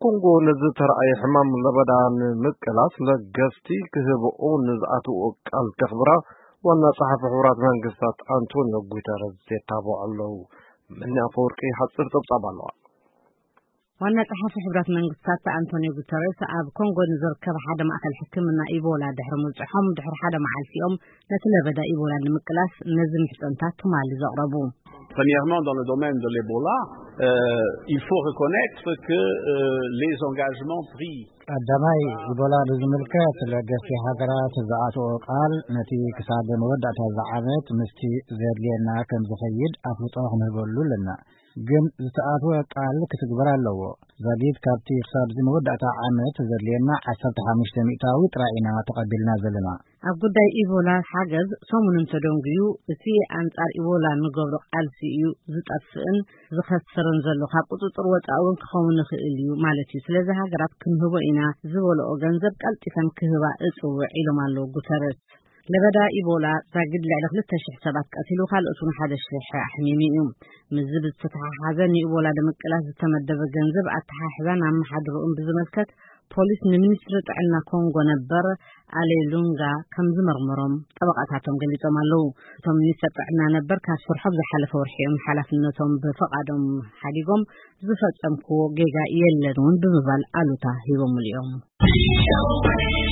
ኮንጎ ነዚ ተረኣየ ሕማም ለበዳ ንምቅላስ ለገስቲ ክህብኡ ንዝኣትዎ ቃል ከኽብራ ዋና ጸሓፊ ሕቡራት መንግስታት ኣንቶኒዮ ጉተረዝ የታብዑ ኣለዉ። መኒ ኣፈወርቂ ሓጺር ጸብጻብ ኣለዋ። ዋና ጸሓፊ ሕቡራት መንግስታት ኣንቶኒዮ ጉተረስ ኣብ ኮንጎ ንዝርከብ ሓደ ማእከል ሕክምና ኢቦላ ድሕሪ ምብጽሖም፣ ድሕሪ ሓደ መዓልቲኦም ነቲ ለበዳ ኢቦላ ንምቅላስ ነዚ ምሕጸንታት ትማሊ ዘቕረቡ። Premièrement, dans le domaine de l'Ebola, euh, il faut reconnaître que euh, les engagements pris. ቀዳማይ፣ ኢቦላ ብዝምልከት ለገስቲ ሃገራት ዝኣትኦ ቃል ነቲ ክሳብ መወዳእታ እዚ ዓመት ምስቲ ዘድልየና ከም ዝኸይድ ኣፍልጦ ክንህበሉ ኣለና። ግን ዝተኣትወ ቃል ክትግበር ኣለዎ። ዛጊድ ካብቲ ክሳብ እዚ መወዳእታ ዓመት ዘድልየና ዓሰርተ ሓሙሽተ ሚእታዊ ጥራይ ኢና ተቐቢልና ዘለና። ኣብ ጉዳይ ኢቦላ ሓገዝ ሰሙን እንተደንጉዩ፣ እቲ ኣንጻር ኢቦላ ንገብሮ ቃልሲ እዩ ዝጠፍእን ዝኸስርን ዘሎ፣ ካብ ቁጽጽር ወጻኢ እውን ክኸውን ይኽእል እዩ ማለት እዩ። ስለዚ ሃገራት ክንህቦ ኢና ዝበልኦ ገንዘብ ቀልጢፈን ክህባ እጽውዕ ኢሎም ኣለዉ ጉተረስ። ለበዳ ኢቦላ ዛጊድ ልዕሊ ክልተ ሽሕ ሰባት ቀቲሉ፣ ካልኦት እውን ሓደ ሽሕ ኣሕሚሙ እዩ። ምስዚ ብዝተተሓሓዘ ንኢቦላ ንምቅላስ ዝተመደበ ገንዘብ ኣተሓሕዛን ኣመሓድርኡን ብዝመልከት ፖሊስ ንሚኒስትሪ ጥዕና ኮንጎ ነበር ኣሌ ሉንጋ ከም ዝመርመሮም ጠበቓታቶም ገሊጾም ኣለዉ። እቶም ሚኒስትር ጥዕና ነበር ካብ ስርሖም ዝሓለፈ ወርሒ እዮም ሓላፍነቶም ብፍቓዶም ሓዲጎም፣ ዝፈጸምክዎ ጌጋ የለን እውን ብምባል ኣሉታ ሂቦምሉ እዮም።